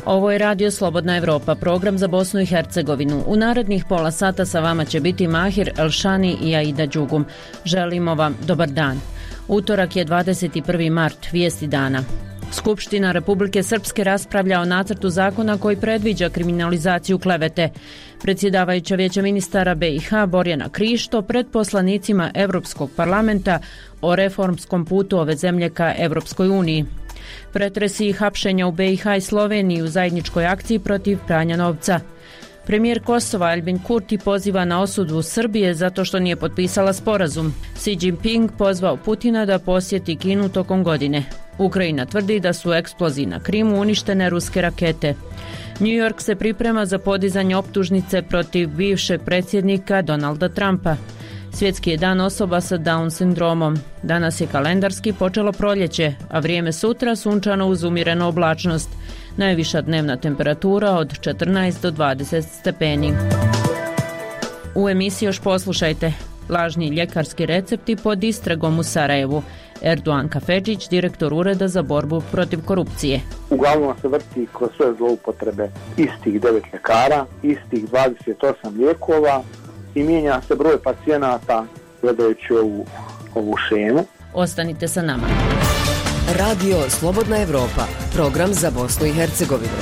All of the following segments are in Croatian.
Ovo je Radio Slobodna Evropa, program za Bosnu i Hercegovinu. U narednih pola sata sa vama će biti Mahir Elšani i Aida Đugum. Želimo vam dobar dan. Utorak je 21. mart, vijesti dana. Skupština Republike Srpske raspravlja o nacrtu zakona koji predviđa kriminalizaciju klevete. Predsjedavajuća Vijeća ministara BiH Borjana Krišto pred poslanicima Evropskog parlamenta o reformskom putu ove zemlje ka Evropskoj uniji. Pretresi i hapšenja u BiH i Sloveniji u zajedničkoj akciji protiv pranja novca. Premijer Kosova Albin Kurti poziva na osudu Srbije zato što nije potpisala sporazum. Xi Jinping pozvao Putina da posjeti Kinu tokom godine. Ukrajina tvrdi da su u eksploziji na Krimu uništene ruske rakete. New York se priprema za podizanje optužnice protiv bivšeg predsjednika Donalda Trumpa. Svjetski je dan osoba sa Down sindromom. Danas je kalendarski počelo proljeće, a vrijeme sutra sunčano uz umjerenu oblačnost. Najviša dnevna temperatura od 14 do 20 stepeni. U emisiji još poslušajte. Lažni ljekarski recepti pod istragom u Sarajevu. Erdoğan Kafedžić, direktor Ureda za borbu protiv korupcije. Uglavnom se vrti kroz sve zloupotrebe istih 9 ljekara, istih 28 lijekova i mijenja se broj pacijenata gledajući ovu šemu. Ostanite sa nama. Radio Slobodna Evropa, program za Bosnu i Hercegovinu.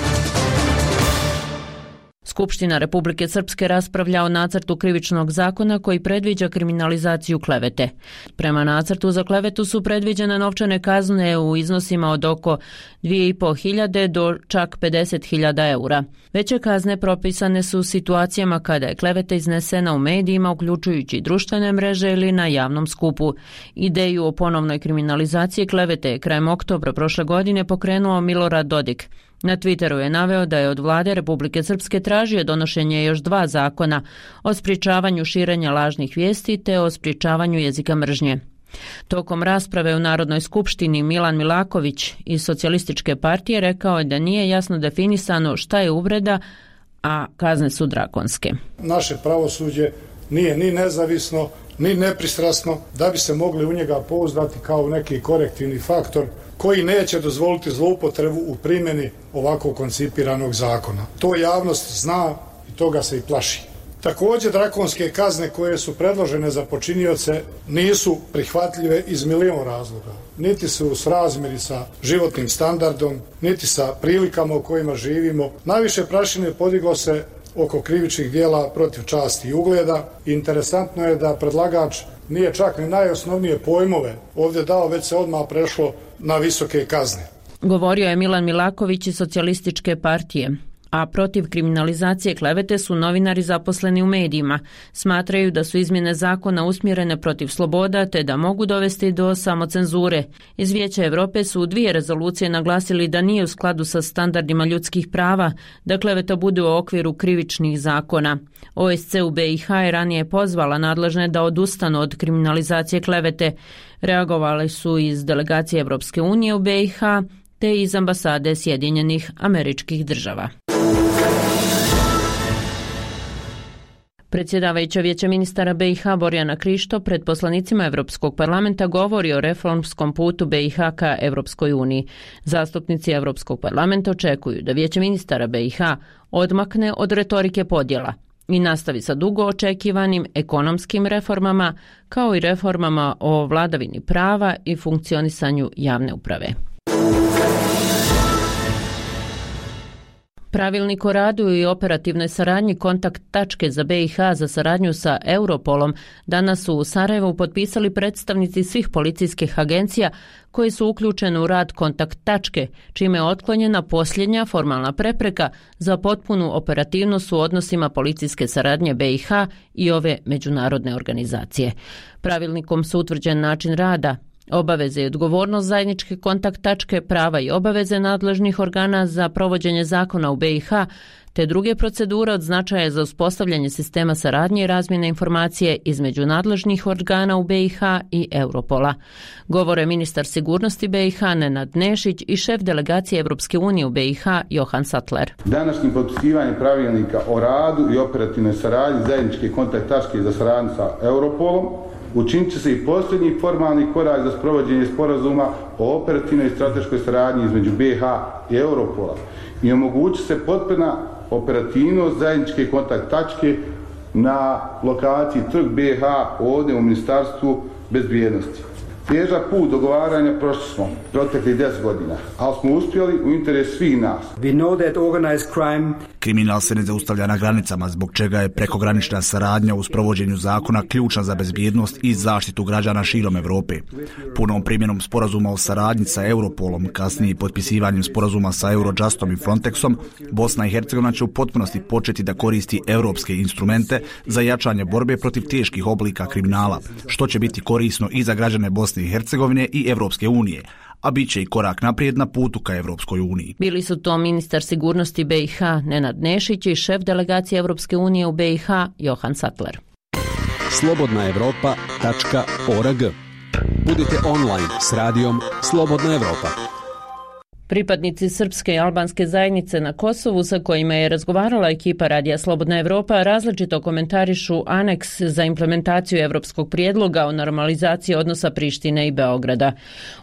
Skupština Republike Srpske raspravlja o nacrtu krivičnog zakona koji predviđa kriminalizaciju klevete. Prema nacrtu za klevetu su predviđene novčane kazne u iznosima od oko 2.500 do čak 50.000 eura. Veće kazne propisane su u situacijama kada je kleveta iznesena u medijima, uključujući društvene mreže ili na javnom skupu. Ideju o ponovnoj kriminalizaciji klevete je krajem oktobra prošle godine pokrenuo Milorad Dodik. Na Twitteru je naveo da je od vlade Republike Srpske tražio donošenje još 2 zakona o sprječavanju širenja lažnih vijesti te o sprječavanju jezika mržnje. Tokom rasprave u Narodnoj skupštini Milan Milaković iz Socijalističke partije rekao je da nije jasno definisano šta je uvreda, a kazne su drakonske. Naše pravosuđe nije ni nezavisno, ni nepristrasno da bi se mogli u njega pouzdati kao neki korektivni faktor koji neće dozvoliti zloupotrebu u primjeni ovako koncipiranog zakona. To javnost zna i toga se i plaši. Također drakonske kazne koje su predložene za počinioce nisu prihvatljive iz milion razloga. Niti su u srazmjeri sa životnim standardom, niti sa prilikama u kojima živimo. Najviše prašine podiglo se oko krivičnih dijela protiv časti i ugleda. Interesantno je da predlagač nije čak ni najosnovnije pojmove ovdje dao, već se odmah prešlo na visoke kazne. Govorio je Milan Milaković iz Socijalističke partije. A protiv kriminalizacije klevete su novinari zaposleni u medijima. Smatraju da su izmjene zakona usmjerene protiv sloboda te da mogu dovesti do samocenzure. Iz Vijeća Europe su u 2 rezolucije naglasili da nije u skladu sa standardima ljudskih prava da kleveta bude u okviru krivičnih zakona. OSCE u BiH je ranije pozvala nadležne da odustanu od kriminalizacije klevete. Reagovali su iz delegacije Evropske unije u BiH te iz ambasade Sjedinjenih Američkih Država. Predsjedavajuća Vijeća ministara BiH Borjana Krišto pred poslanicima Evropskog parlamenta govori o reformskom putu BiH ka Evropskoj uniji. Zastupnici Evropskog parlamenta očekuju da Vijeće ministara BiH odmakne od retorike podjela i nastavi sa dugo očekivanim ekonomskim reformama kao i reformama o vladavini prava i funkcionisanju javne uprave. Pravilnik o radu i operativnoj saradnji kontakt tačke za BiH za saradnju sa Europolom danas su u Sarajevu potpisali predstavnici svih policijskih agencija koji su uključeni u rad kontakt tačke, čime je otklonjena posljednja formalna prepreka za potpunu operativnost u odnosima policijske saradnje BiH i ove međunarodne organizacije. Pravilnikom su utvrđen način rada, obaveze i odgovornost zajedničke kontakt tačke, prava i obaveze nadležnih organa za provođenje zakona u BiH, te druge procedure od značaja za uspostavljanje sistema saradnje i razmjene informacije između nadležnih organa u BiH i Europola. Govore ministar sigurnosti BiH Nenad Nešić i šef delegacije Evropske unije u BiH Johan Sattler. Današnjim potpisivanjem pravilnika o radu i operativnoj saradnji zajedničke kontakt tačke za saradnju sa Europolom učinit će se i posljednji formalni korak za sprovođenje sporazuma o operativnoj i strateškoj saradnji između BiH i Europola i omogući se potpuna operativnost zajedničke kontakt tačke na lokaciji Trg BiH ovdje u Ministarstvu bezbjednosti. Težak put dogovaranja prošli smo proteklih 10 godina, ali smo uspjeli u interesu svih nas. Kriminal se ne zaustavlja na granicama, zbog čega je prekogranična saradnja u sprovođenju zakona ključna za bezbjednost i zaštitu građana širom Europe. Punom primjenom sporazuma o saradnji sa Europolom, kasnije potpisivanjem sporazuma sa Eurojustom i Frontexom, Bosna i Hercegovina će u potpunosti početi da koristi europske instrumente za jačanje borbe protiv teških oblika kriminala, što će biti korisno i za građane Bosne i Hercegovine i Europske unije, a bit će i korak naprijed na putu ka Europskoj uniji. Bili su to ministar sigurnosti BiH Nenad Nešić i šef delegacije Europske unije u BiH Johan Sattler. slobodnaevropa.org. Budite online s radijom Slobodna Evropa. Pripadnici srpske i albanske zajednice na Kosovu sa kojima je razgovarala ekipa Radija Slobodna Evropa različito komentarišu aneks za implementaciju evropskog prijedloga o normalizaciji odnosa Prištine i Beograda.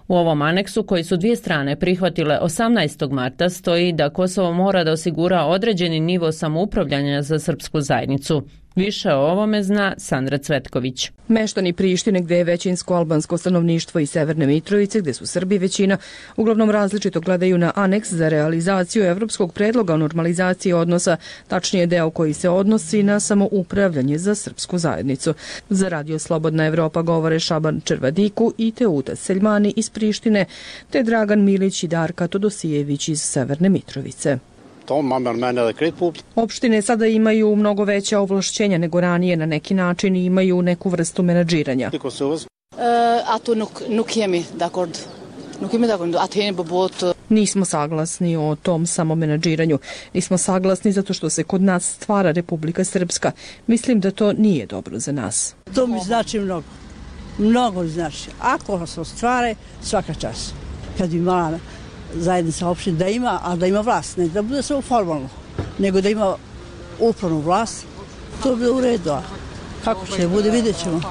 U ovom aneksu, koji su dvije strane prihvatile 18. marta, stoji da Kosovo mora da osigura određeni nivo samoupravljanja za srpsku zajednicu. Više o ovome zna Sandra Cvetković. Meštani Prištine, gdje je većinsko albansko stanovništvo, i Severne Mitrovice, gdje su Srbi većina, uglavnom različito gledaju na aneks za realizaciju evropskog predloga o normalizaciji odnosa, tačnije deo koji se odnosi na samoupravljanje za srpsku zajednicu. Za Radio Slobodna Evropa govore Šaban Červadiku i Teuta Seljmani iz Prištine, te Dragan Milić i Darka Todosijević iz Severne Mitrovice. Opštine sada imaju mnogo veća ovlašćenja nego ranije, na neki način imaju neku vrstu menadžiranja. Nismo saglasni o tom samomenadžiranju. Nismo saglasni zato što se kod nas stvara Republika Srpska. Mislim da to nije dobro za nas. To mi znači mnogo. Mnogo znači. Ako se ostvare, svaka čast. Kad bi imala zajednica opština da ima, a da ima vlast, ne da bude samo formalno, nego da ima upravnu vlast, to bi u redu. Kako će bude, vidjet ćemo.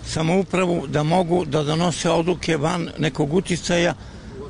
Samoupravu da mogu da donose odluke van nekog uticaja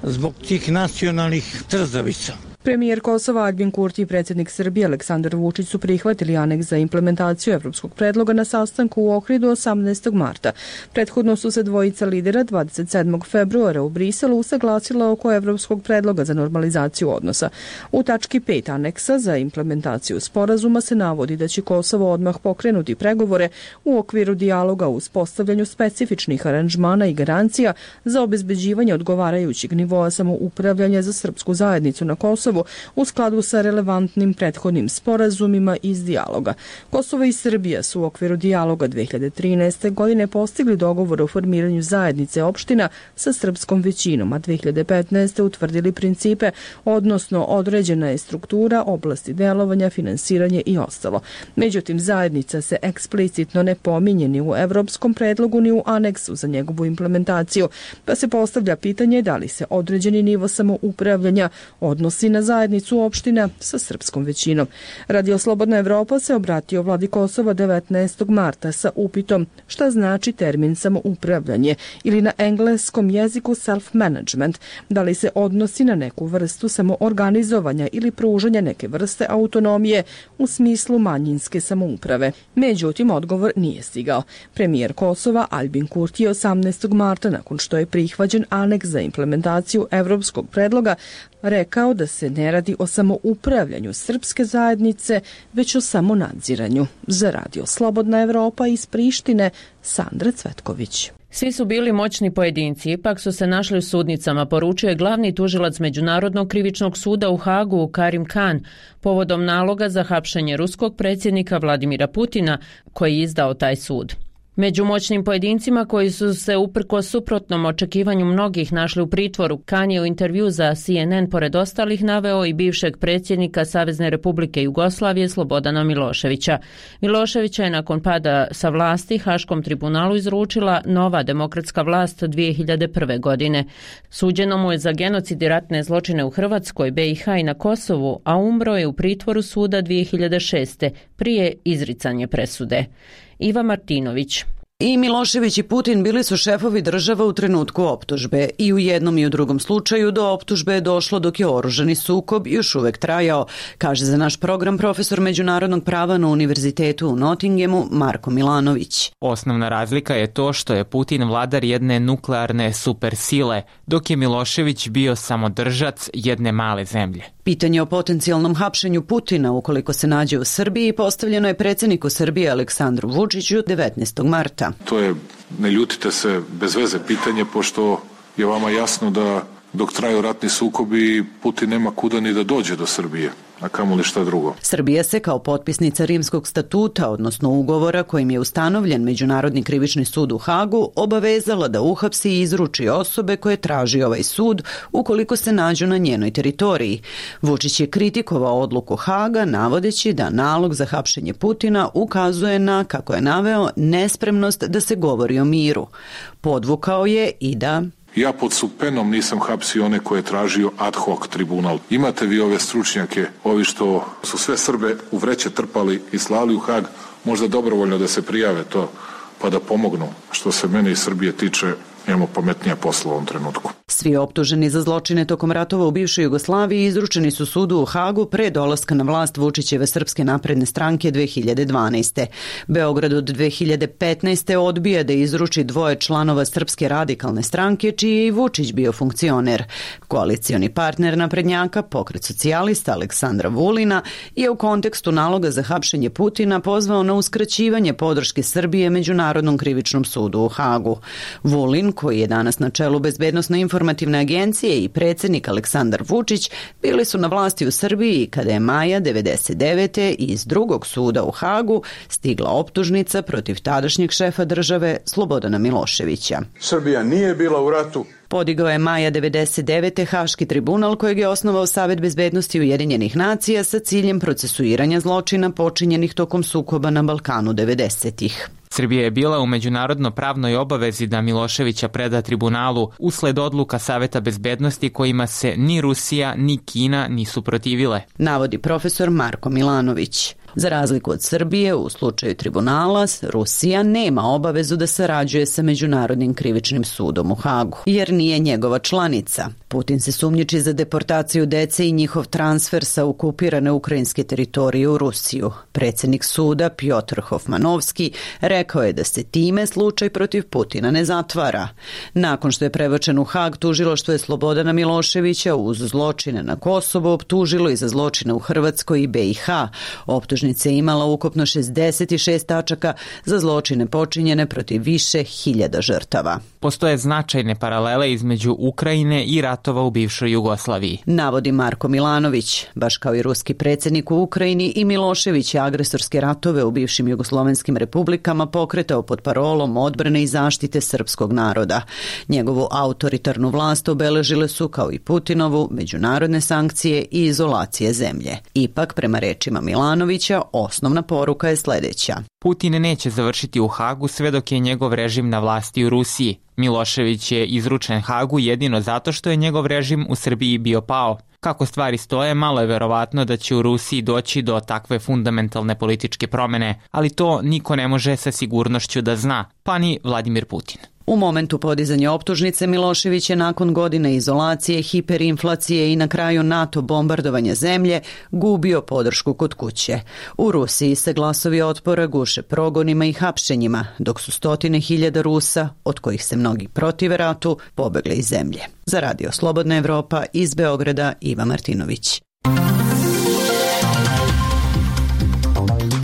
zbog tih nacionalnih trzavica. Premijer Kosova Aljbin Kurti i predsjednik Srbije Aleksandar Vučić su prihvatili aneks za implementaciju evropskog predloga na sastanku u Ohridu 18. marta. Prethodno su se dvojica lidera 27. februara u Briselu usaglasila oko evropskog predloga za normalizaciju odnosa. U tački 5 aneksa za implementaciju sporazuma se navodi da će Kosovo odmah pokrenuti pregovore u okviru dijaloga o uspostavljanju specifičnih aranžmana i garancija za obezbeđivanje odgovarajućeg nivoa samoupravljanja za srpsku zajednicu na Kosovu u skladu sa relevantnim prethodnim sporazumima iz dijaloga. Kosovo i Srbija su u okviru dijaloga 2013. godine postigli dogovor o formiranju zajednice opština sa srpskom većinom, a 2015. utvrdili principe, odnosno određena je struktura, oblasti delovanja, finansiranje i ostalo. Međutim, zajednica se eksplicitno ne pominje ni u evropskom predlogu ni u aneksu za njegovu implementaciju, pa se postavlja pitanje da li se određeni nivo samoupravljanja odnosi na zajednicu opština sa srpskom većinom. Radio Slobodna Evropa se obratio vladi Kosova 19. marta sa upitom šta znači termin samoupravljanje ili na engleskom jeziku self-management, da li se odnosi na neku vrstu samoorganizovanja ili pružanja neke vrste autonomije u smislu manjinske samouprave. Međutim, odgovor nije stigao. Premijer Kosova Aljbin Kurti je 18. marta, nakon što je prihvaćen aneks za implementaciju evropskog predloga, rekao da se ne radi o samoupravljanju srpske zajednice, već o samonadziranju. Za Radio Slobodna Evropa iz Prištine, Sandra Cvetković. Svi su bili moćni pojedinci, ipak su se našli u sudnicama, poručio je glavni tužilac Međunarodnog krivičnog suda u Hagu Karim Khan povodom naloga za hapšenje ruskog predsjednika Vladimira Putina koji je izdao taj sud. Među moćnim pojedincima koji su se uprkos suprotnom očekivanju mnogih našli u pritvoru, Khan je u intervju za CNN pored ostalih naveo i bivšeg predsjednika Savezne Republike Jugoslavije Slobodana Miloševića. Miloševića je nakon pada sa vlasti Haškom tribunalu izručila nova demokratska vlast 2001. godine. Suđeno mu je za genocid i ratne zločine u Hrvatskoj, BiH i na Kosovu, a umro je u pritvoru suda 2006. prije izricanja presude. Iva Martinović. I Milošević i Putin bili su šefovi država u trenutku optužbe i u jednom i u drugom slučaju do optužbe je došlo dok je oružani sukob još uvek trajao, kaže za naš program profesor međunarodnog prava na Univerzitetu u Nottinghamu Marko Milanović. Osnovna razlika je to što je Putin vladar jedne nuklearne supersile, dok je Milošević bio samodržac jedne male zemlje. Pitanje o potencijalnom hapšenju Putina ukoliko se nađe u Srbiji postavljeno je predsjedniku Srbije Aleksandru Vučiću 19. marta. To je, ne ljutite se, bez veze pitanje, pošto je vama jasno da dok traju ratni sukobi Putin nema kuda ni da dođe do Srbije, a kamoli šta drugo. Srbija se kao potpisnica Rimskog statuta, odnosno ugovora kojim je ustanovljen Međunarodni krivični sud u Hagu, obavezala da uhapsi i izruči osobe koje traži ovaj sud ukoliko se nađu na njenoj teritoriji. Vučić je kritikovao odluku Haga navodeći da nalog za hapšenje Putina ukazuje na, kako je naveo, nespremnost da se govori o miru. Podvukao je i da ja pod supenom nisam hapsio one koje je tražio ad hoc tribunal. Imate vi ove stručnjake, ovi što su sve Srbe u vreće trpali i slali u Hag, možda dobrovoljno da se prijave to, pa da pomognu. Što se mene i Srbije tiče, imamo pametnija posla u ovom trenutku. Svi optuženi za zločine tokom ratova u bivšoj Jugoslaviji izručeni su sudu u Hagu pre dolaska na vlast Vučićeve Srpske napredne stranke 2012. Beograd od 2015. odbija da izruči 2 članova Srpske radikalne stranke, čiji je i Vučić bio funkcioner. Koalicioni partner naprednjaka, Pokret socijalista Aleksandra Vulina, je u kontekstu naloga za hapšenje Putina pozvao na uskraćivanje podrške Srbije Međunarodnom krivičnom sudu u Hagu. Vulin, koji je danas na čelu Bezbednosno-informativne agencije, i predsjednik Aleksandar Vučić bili su na vlasti u Srbiji kada je maja 1999. iz drugog suda u Hagu stigla optužnica protiv tadašnjeg šefa države Slobodana Miloševića. Srbija nije bila u ratu. Podigao je maja 1999. Haški tribunal kojeg je osnovao Savet bezbednosti Ujedinjenih nacija sa ciljem procesuiranja zločina počinjenih tokom sukoba na Balkanu 90-ih. Srbija je bila u međunarodno pravnoj obavezi da Miloševića preda tribunalu usled odluka Saveta bezbednosti kojima se ni Rusija ni Kina nisu protivile, navodi profesor Marko Milanović. Za razliku od Srbije, u slučaju tribunala, Rusija nema obavezu da sarađuje sa Međunarodnim krivičnim sudom u Hagu, jer nije njegova članica. Putin se sumnjiči za deportaciju dece i njihov transfer sa okupirane ukrajinske teritorije u Rusiju. Predsjednik suda Pjotr Hofmanovski rekao je da se time slučaj protiv Putina ne zatvara. Nakon što je prebačen u Hag, tužilaštvo je Slobodana Miloševića uz zločine na Kosovo optužilo i za zločine u Hrvatskoj i BiH. Optužnica je imala ukupno 66 tačaka za zločine počinjene protiv više hiljada žrtava. Postoje značajne paralele između Ukrajine i ratova u bivšoj Jugoslaviji, navodi Marko Milanović. Baš kao i ruski predsjednik u Ukrajini, i Milošević je agresorske ratove u bivšim jugoslovenskim republikama pokretao pod parolom odbrane i zaštite srpskog naroda. Njegovu autoritarnu vlast obeležile su, kao i Putinovu, međunarodne sankcije i izolacije zemlje. Ipak, prema rečima Milanovića, osnovna poruka je sljedeća. Putin neće završiti u Hagu sve dok je njegov režim na vlasti u Rusiji. Milošević je izručen Hagu jedino zato što je njegov režim u Srbiji bio pao. Kako stvari stoje, malo je verovatno da će u Rusiji doći do takve fundamentalne političke promjene, ali to niko ne može sa sigurnošću da zna, pa ni Vladimir Putin. U momentu podizanja optužnice Milošević je nakon godine izolacije, hiperinflacije i na kraju NATO bombardovanja zemlje gubio podršku kod kuće. U Rusiji se glasovi otpora guše progonima i hapšenjima, dok su 100.000 Rusa, od kojih se mnogi protive ratu, pobegli iz zemlje. Za Radio Slobodna Evropa iz Beograda, Iva Martinović.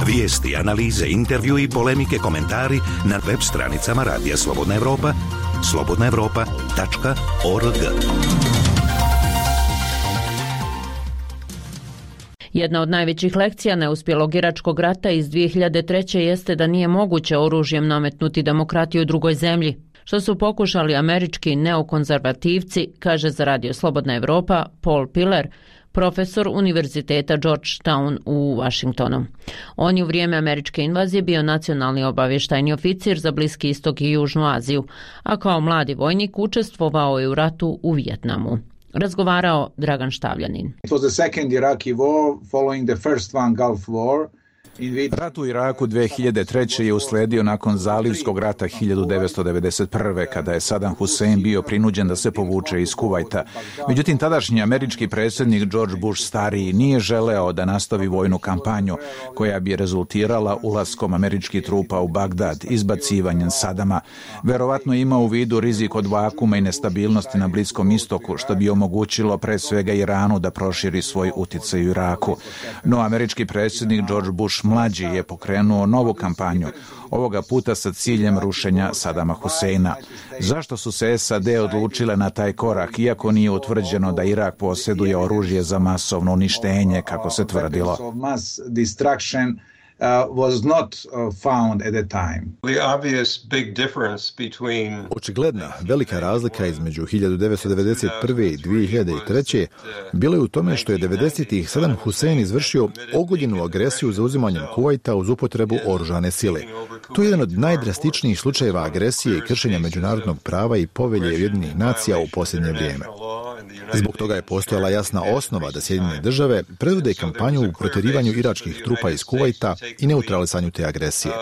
Vijesti, analize, intervju i polemike, komentari na web stranicama Radija Slobodna Evropa, slobodnaevropa.org. Jedna od najvećih lekcija neuspjelog iračkog rata iz 2003. jeste da nije moguće oružjem nametnuti demokratiju drugoj zemlji, što su pokušali američki neokonzervativci, kaže za Radio Slobodna Evropa Paul Piller, profesor Univerziteta Georgetown u Washingtonu. On je u vrijeme američke invazije bio nacionalni obavještajni oficir za Bliski istok i Južnu Aziju, a kao mladi vojnik učestvovao je u ratu u Vijetnamu. Razgovarao Dragan Štavljanin. It was the second Iraqi war following the first one Gulf War. Rat u Iraku 2003. je usledio nakon Zalivskog rata 1991. kada je Saddam Hussein bio prinuđen da se povuče iz Kuvajta. Međutim, tadašnji američki predsjednik George Bush stariji nije želeo da nastavi vojnu kampanju koja bi rezultirala ulaskom američkih trupa u Bagdad, izbacivanjem Sadama. Verovatno ima u vidu rizik od vakuma i nestabilnosti na Bliskom istoku, što bi omogućilo pre svega Iranu da proširi svoj uticaj u Iraku. No, američki predsjednik George Bush mlađi je pokrenuo novu kampanju, ovoga puta sa ciljem rušenja Sadama Huseina. Zašto su se SAD odlučile na taj korak, iako nije utvrđeno da Irak posjeduje oružje za masovno uništenje, kako se tvrdilo? Was not found at the time. Očigledna velika razlika između 1991. i 2003. bila je u tome što je 90-ih Saddam Hussein izvršio ogoljenu agresiju za uzimanjem Kuvajta uz upotrebu oružane sile. To je jedan od najdrastičnijih slučajeva agresije i kršenja međunarodnog prava i povelje Ujedinjenih nacija u posljednje vrijeme. Zbog toga je postojala jasna osnova da Sjedinjene države predvode kampanju u protjerivanju iračkih trupa iz Kuvajta i neutralisanju te agresije.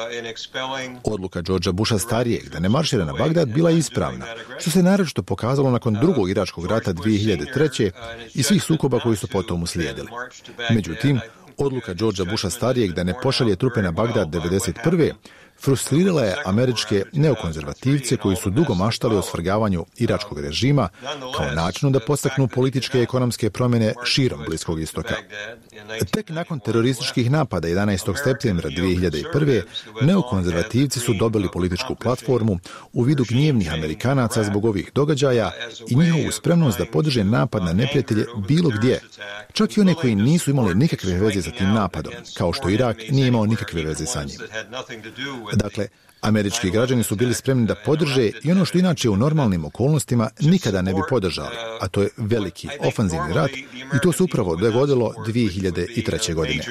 Odluka Georgea Busha starijeg da ne maršira na Bagdad bila je ispravna, što se naročito pokazalo nakon drugog iračkog rata 2003. i svih sukoba koji su potom uslijedili. Međutim, odluka Georgea Busha starijeg da ne pošalje trupe na Bagdad 1991. frustrirala je američke neokonzervativce koji su dugo maštali o svrgavanju iračkog režima kao načinu da podstaknu političke i ekonomske promjene širom Bliskog istoka. Tek nakon terorističkih napada 11. septembra 2001. neokonzervativci su dobili političku platformu u vidu gnjevnih Amerikanaca zbog ovih događaja i njihovu spremnost da podrže napad na neprijatelje bilo gdje, čak i one koji nisu imali nikakve veze sa tim napadom, kao što Irak nije imao nikakve veze sa njim. Dakle, američki građani su bili spremni da podrže i ono što inače u normalnim okolnostima nikada ne bi podržali, a to je veliki ofanzivni rat, i to se upravo dogodilo 2003. godine.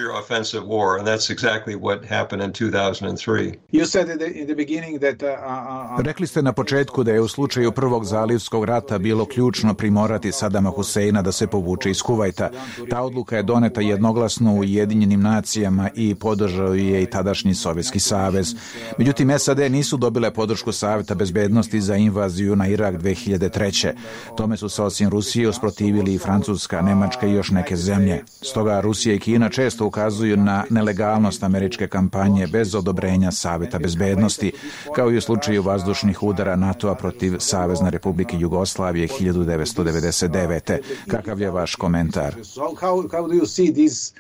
Rekli ste na početku da je u slučaju prvog Zalivskog rata bilo ključno primorati Sadama Huseina da se povuče iz Kuvajta. Ta odluka je doneta jednoglasno u Ujedinjenim nacijama i podržao je i tadašnji Sovjetski savez. Međutim, SAD nisu dobile podršku Savjeta bezbednosti za invaziju na Irak 2003. Tome su se osim Rusije usprotivili i Francuska, Nemačka i još neke zemlje. Stoga Rusija i Kina često ukazuju na nelegalnost američke kampanje bez odobrenja Savjeta bezbednosti, kao i u slučaju vazdušnih udara NATO-a protiv Savezne Republike Jugoslavije 1999. Kakav je vaš komentar? How do you see this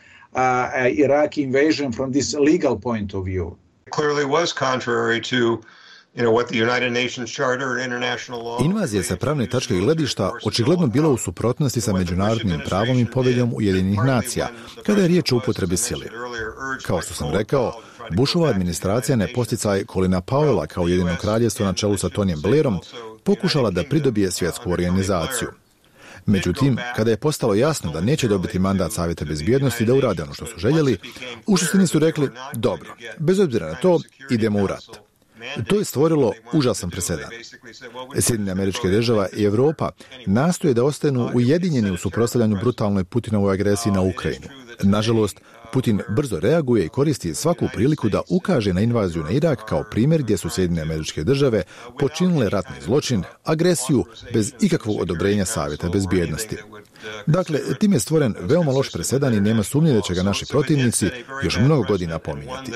Iraqi invasion from this legal point of view? Invazija sa pravne tačke gledišta očigledno bila u suprotnosti sa međunarodnim pravom i poveljom Ujedinjenih nacija, kada je riječ o upotrebi sile. Kao što sam rekao, Bushova administracija na posticaj Colina Powella kao Ujedinjeno kraljevstvo na čelu sa Tonyjem Blairom pokušala da pridobije svjetsku organizaciju. Međutim, kada je postalo jasno da neće dobiti mandat Savjeta bezbjednosti da urade ono što su željeli, u suštini su rekli, dobro, bez obzira na to, idemo u rat. To je stvorilo užasan presedan. Sjedinjene Američke Države i Europa nastoje da ostanu ujedinjeni u suprotstavljanju brutalnoj Putinovoj agresiji na Ukrajinu. Nažalost, Putin brzo reaguje i koristi svaku priliku da ukaže na invaziju na Irak kao primjer gdje su Sjedinjene Američke Države počinile ratni zločin, agresiju bez ikakvog odobrenja Savjeta bezbjednosti. Dakle, tim je stvoren veoma loš presedan i nema sumnje da će ga naši protivnici još mnogo godina pominjati.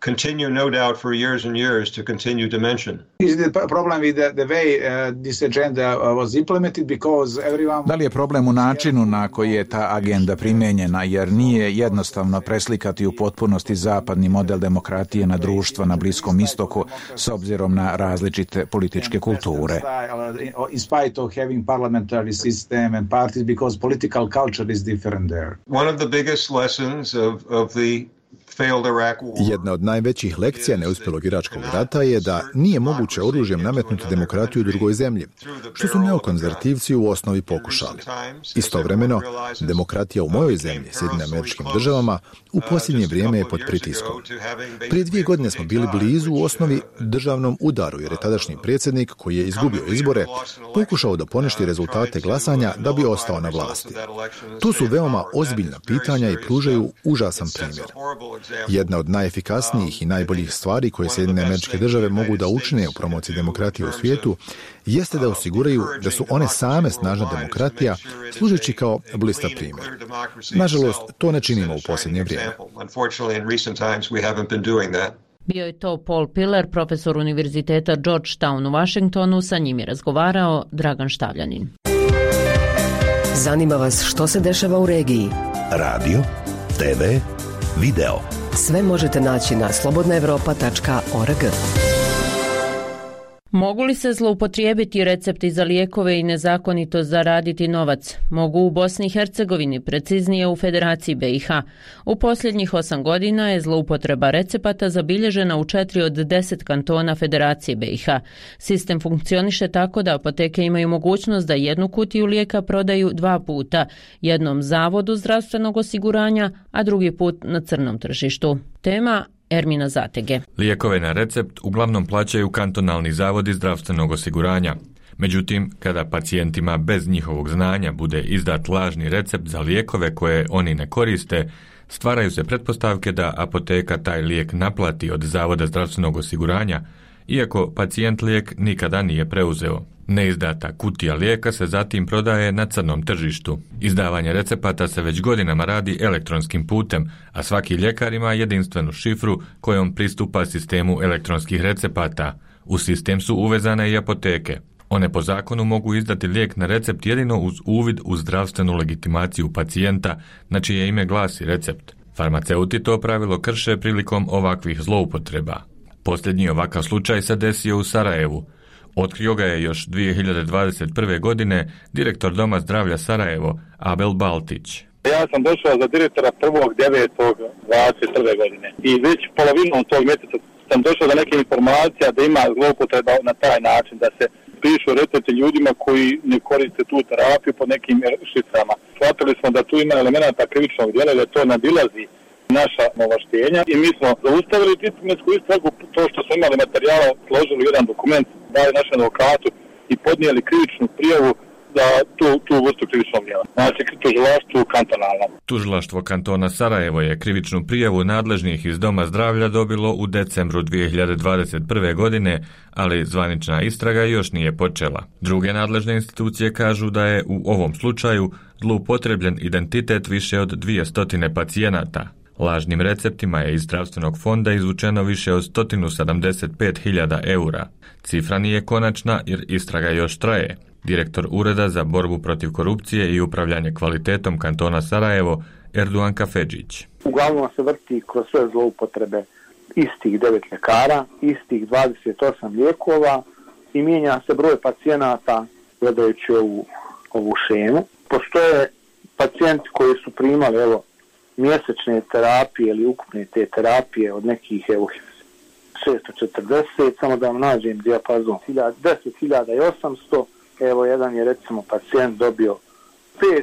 Continue, no doubt, for years and years to continue to mention. Is the problem with the way this agenda was implemented because everyone... Da li je problem u načinu na koji je ta agenda primijenjena, jer nije jednostavno preslikati u potpunosti zapadni model demokratije na društva na Bliskom istoku s obzirom na različite političke kulture. In spite of having parliamentary system and parties because political culture is different there. One of the biggest lessons of the Jedna od najvećih lekcija neuspjelog iračkog rata je da nije moguće oružjem nametnuti demokratiju u drugoj zemlji, što su neokonzervativci u osnovi pokušali. Istovremeno, demokratija u mojoj zemlji, Sjedinjenim Američkim Državama, u posljednje vrijeme je pod pritiskom. Prije 2 godine smo bili blizu u osnovi državnom udaru, jer je tadašnji predsjednik, koji je izgubio izbore, pokušao da poništi rezultate glasanja da bi ostao na vlasti. Tu su veoma ozbiljna pitanja i pružaju užasan primjer. Jedna od najefikasnijih i najboljih stvari koje Sjedinjene Američke Države mogu da učine u promociji demokratije u svijetu jeste da osiguraju da su one same snažna demokratija, služeći kao blista primjer. Nažalost, to ne činimo u posljednje vrijeme. Bio je to Paul Pillar, profesor Univerziteta Georgetown u Washingtonu, sa njim je razgovarao Dragan Štavljanin. Zanima vas što se dešava u regiji? Radio, TV, video. Sve možete naći na slobodnaevropa.org. Mogu li se zloupotrijebiti recepti za lijekove i nezakonito zaraditi novac? Mogu u Bosni i Hercegovini, preciznije u Federaciji BiH. U posljednjih 8 godina je zloupotreba recepata zabilježena u 4 od 10 kantona Federacije BiH. Sistem funkcioniše tako da apoteke imaju mogućnost da jednu kutiju lijeka prodaju 2 puta, jednom zavodu zdravstvenog osiguranja, a drugi put na crnom tržištu. Tema Ermina Zatege. Lijekove na recept uglavnom plaćaju kantonalni zavodi zdravstvenog osiguranja. Međutim, kada pacijentima bez njihovog znanja bude izdat lažni recept za lijekove koje oni ne koriste, stvaraju se pretpostavke da apoteka taj lijek naplati od zavoda zdravstvenog osiguranja, iako pacijent lijek nikada nije preuzeo. Neizdata kutija lijeka se zatim prodaje na crnom tržištu. Izdavanje recepata se već godinama radi elektronskim putem, a svaki ljekar ima jedinstvenu šifru kojom pristupa sistemu elektronskih recepata. U sistem su uvezane i apoteke. One po zakonu mogu izdati lijek na recept jedino uz uvid u zdravstvenu legitimaciju pacijenta, na čije ime glasi recept. Farmaceuti to pravilo krše prilikom ovakvih zloupotreba. Posljednji ovakav slučaj se desio u Sarajevu. Otkrio ga je još 2021. godine direktor Doma zdravlja Sarajevo, Abel Baltić. Ja sam došao za direktora 1.9.21. godine i već polovinom tog mjeseca sam došao do neke informacija da ima zloupotreba na taj način, da se pišu recepti ljudima koji ne koriste tu terapiju pod nekim šiframa. Shvatili smo da tu ima elemenata krivičnog djela, da to nadilazi naša ovlaštenja i mi smo zaustavili disciplinsku istragu, to što smo imali materijala, složili jedan dokument, dali našem advokatu i podnijeli krivičnu prijavu za tu vrstu krivičnog djela. Znači, tužilaštvo kantonalno. Tužilaštvo kantona Sarajevo je krivičnu prijavu nadležnih iz Doma zdravlja dobilo u decembru 2021. godine, ali zvanična istraga još nije počela. Druge nadležne institucije kažu da je u ovom slučaju zloupotrebljen identitet više od 200 pacijenata. Lažnim receptima je iz zdravstvenog fonda izvučeno više od 175.000 eura. Cifra nije konačna jer istraga još traje. Direktor Ureda za borbu protiv korupcije i upravljanje kvalitetom kantona Sarajevo, Erduan Kafedžić. Uglavnom se vrti kroz sve zloupotrebe istih 9 ljekara, istih 28 lijekova i mijenja se broj pacijenata gledajući ovu šemu. Postoje pacijenti koji su primali mjesečne terapije ili ukupne te terapije od nekih 640, samo da vam nađem dijapazon, 10.800, jedan je recimo pacijent dobio 5,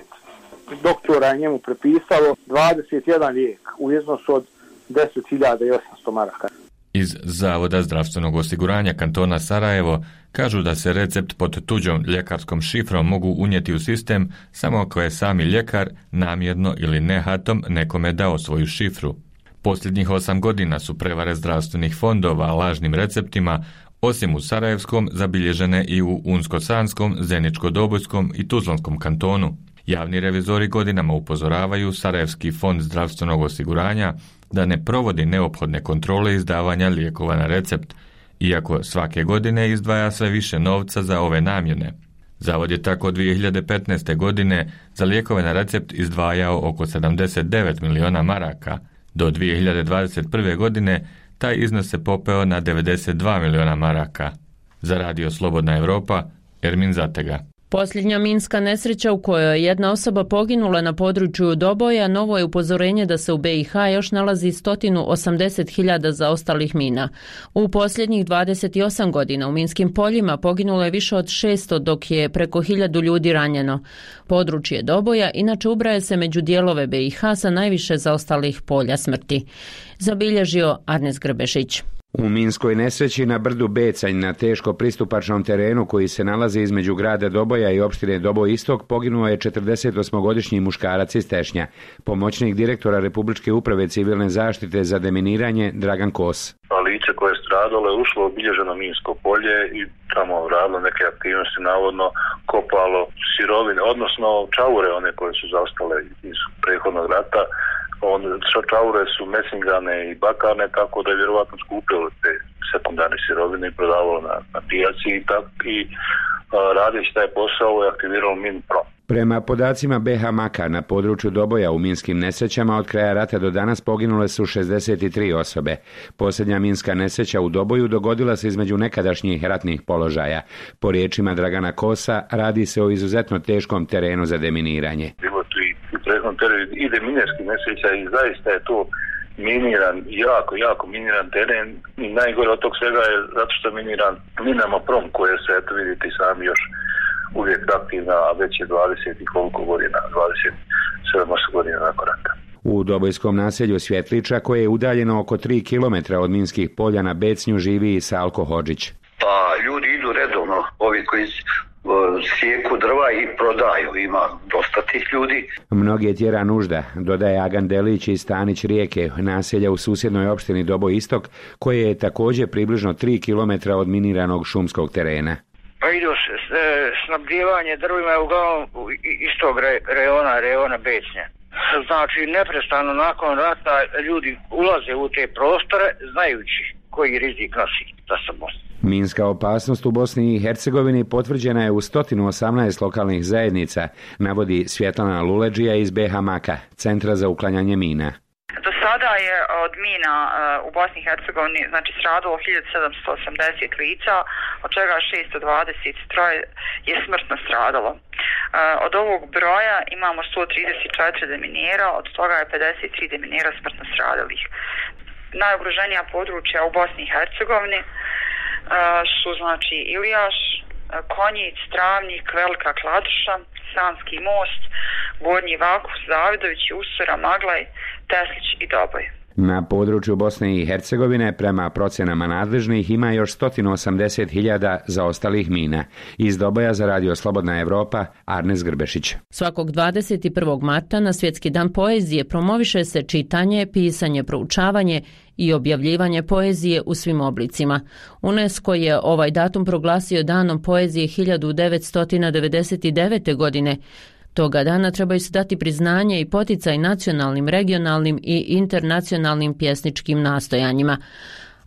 doktora je njemu prepisalo 21 lijek u iznosu od 10.800 maraka. Iz Zavoda zdravstvenog osiguranja kantona Sarajevo kažu da se recept pod tuđom ljekarskom šifrom mogu unijeti u sistem samo ako je sami ljekar namjerno ili nehatom nekome dao svoju šifru. Posljednjih 8 godina su prevare zdravstvenih fondova lažnim receptima, osim u Sarajevskom, zabilježene i u Unsko-Sanskom, Zeničko-Dobojskom i Tuzlanskom kantonu. Javni revizori godinama upozoravaju Sarajevski fond zdravstvenog osiguranja da ne provodi neophodne kontrole izdavanja lijekova na recept, iako svake godine izdvaja sve više novca za ove namjene. Zavod je tako 2015. godine za lijekove na recept izdvajao oko 79 miliona maraka. Do 2021. godine taj iznos se popeo na 92 miliona maraka. Za Radio Slobodna Evropa, Ermin Zatega. Posljednja minska nesreća u kojoj je jedna osoba poginula na području Doboja novo je upozorenje da se u BiH još nalazi 180.000 zaostalih mina. U posljednjih 28 godina u minskim poljima poginulo je više od 600, dok je preko 1000 ljudi ranjeno. Područje Doboja inače ubraja se među dijelove BiH sa najviše zaostalih polja smrti. Zabilježio Arnes Grbešić. U minskoj nesreći na brdu Becanj na teško pristupačnom terenu koji se nalazi između grada Doboja i opštine Doboj Istok poginuo je 48-godišnji muškarac iz Tešnja, pomoćnik direktora Republičke uprave civilne zaštite za deminiranje Dragan Kos. Lice koje je stradalo je ušlo u obilježeno minsko polje i tamo radilo neke aktivnosti, navodno kopalo sirovine, odnosno čaure one koje su zaostale iz prethodnog rata. Čaure su mesingane i bakarne, tako da je vjerovatno skupilo te sekundarne sirovine i prodavalo na pijaci i radeći taj posao je aktiviralo Minprom. Prema podacima BH Maka na području Doboja u minskim nesrećama od kraja rata do danas poginule su 63 osobe. Posljednja minska nesreća u Doboju dogodila se između nekadašnjih ratnih položaja. Po riječima Dragana Kosa radi se o izuzetno teškom terenu za deminiranje. Bilo tu i prethodnom terenu i deminarskih nesreća i zaista je to miniran, jako miniran teren i najgore od tog svega je zato što je miniran minama Prom koje se, eto vidite i sami još uvijek aktivna, a već je 20 i koliko godina, 27 godina nakon rata. U dobojskom naselju Svjetliča, koje je udaljeno oko 3 km od minskih polja na Becnju, živi i Salko Hodžić. Pa ljudi idu redovno, ovi koji sjeku drva i prodaju, ima dosta tih ljudi. Mnoge tjera nužda, dodaje Agan Delić iz Stanić Rijeke, naselja u susjednoj opštini Doboj Istok, koje je također približno 3 km od miniranog šumskog terena. Pa idu snabdjevanje drvima je uglavnom iz tog reona Becnja. Znači, neprestano nakon rata ljudi ulaze u te prostore znajući koji rizik nosi za sobom. Minska opasnost u Bosni i Hercegovini potvrđena je u 118 lokalnih zajednica, navodi Svjetlana Luleđija iz BH Maka, Centra za uklanjanje mina. Do sada je od mina u Bosni i Hercegovini stradalo 1780 lica, od čega 623 je smrtno stradalo. Od ovog broja imamo 134 deminera, od toga je 53 deminera smrtno stradalih. Najugroženija područja u Bosni i Hercegovini su Ilijaš, Konjic, Travnik, Velika Kladuša, Sanski most, Gornji Vakus, Zavidović, Usora, Maglaj, Teslić i Doboj. Na području Bosne i Hercegovine prema procenama nadležnih ima još 180.000 zaostalih mina. Iz Doboja za Radio Slobodna Evropa, Arnes Grbešić. Svakog 21. marta na Svjetski dan poezije promoviše se čitanje, pisanje, proučavanje i objavljivanje poezije u svim oblicima. UNESCO je ovaj datum proglasio danom poezije 1999. godine. Toga dana trebaju se dati priznanje i poticaj nacionalnim, regionalnim i internacionalnim pjesničkim nastojanjima.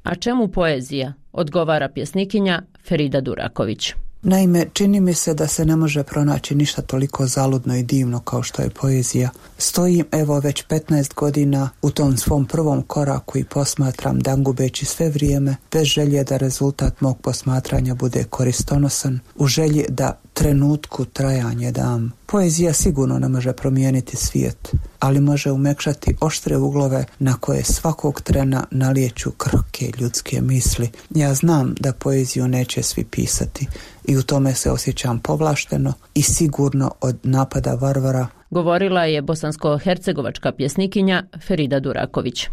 A čemu poezija? Odgovara pjesnikinja Ferida Duraković. Naime, čini mi se da se ne može pronaći ništa toliko zaludno i divno kao što je poezija. Stojim evo već 15 godina u tom svom prvom koraku i posmatram dan gubeći sve vrijeme, bez želje da rezultat mog posmatranja bude koristonosan, u želji da trenutku trajanje dam. Poezija sigurno ne može promijeniti svijet, ali može umekšati oštre uglove na koje svakog trena nalijeću krhke ljudske misli. Ja znam da poeziju neće svi pisati i u tome se osjećam povlašteno i sigurno od napada varvara. Govorila je bosansko-hercegovačka pjesnikinja Ferida Duraković.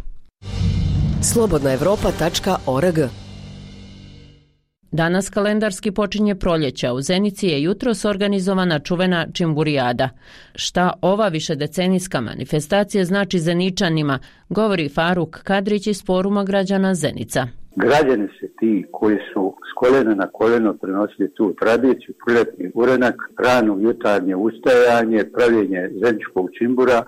slobodnaevropa.org. Danas kalendarski počinje proljeća. U Zenici je jutros organizovana čuvena Čimburijada. Šta ova višedecenijska manifestacija znači Zeničanima, govori Faruk Kadrić iz Foruma građana Zenica. Građani su ti koji su s koljena na koljeno prenosili tu tradiciju, proljetni urenak, rano jutarnje ustajanje, pravljenje zeničkog čimbura,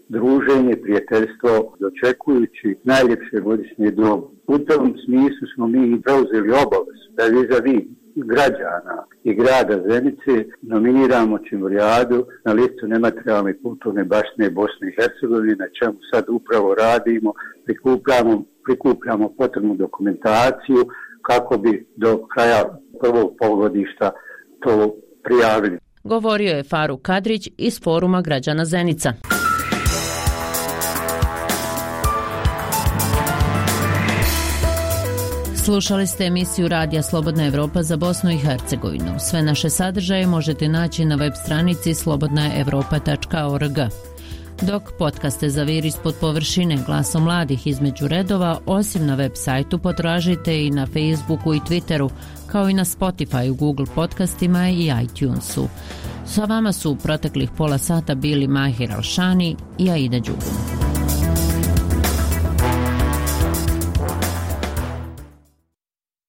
druženje, prijateljstvo, dočekujući najljepše godišnje dobu. U tom smislu smo mi preuzeli obavezu da vis-a-vis građana i grada Zenice nominiramo Čimburijadu na listu nematerijalne kulturne baštine Bosne i Hercegovine, na čemu sad upravo radimo, prikupljamo potrebnu dokumentaciju kako bi do kraja prvog polugodišta to prijavili. govorio je Faruk Kadrić iz Foruma građana Zenica. Slušali ste emisiju Radija Slobodna Evropa za Bosnu i Hercegovinu. Sve naše sadržaje možete naći na web stranici slobodnaevropa.org. Dok podcaste Zavir ispod površine, Glasom mladih između redova, osim na web sajtu potražite i na Facebooku i Twitteru, kao i na Spotify, Google podcastima i iTunesu. Sa vama su u proteklih pola sata bili Mahir Alšani i Aida Đugum.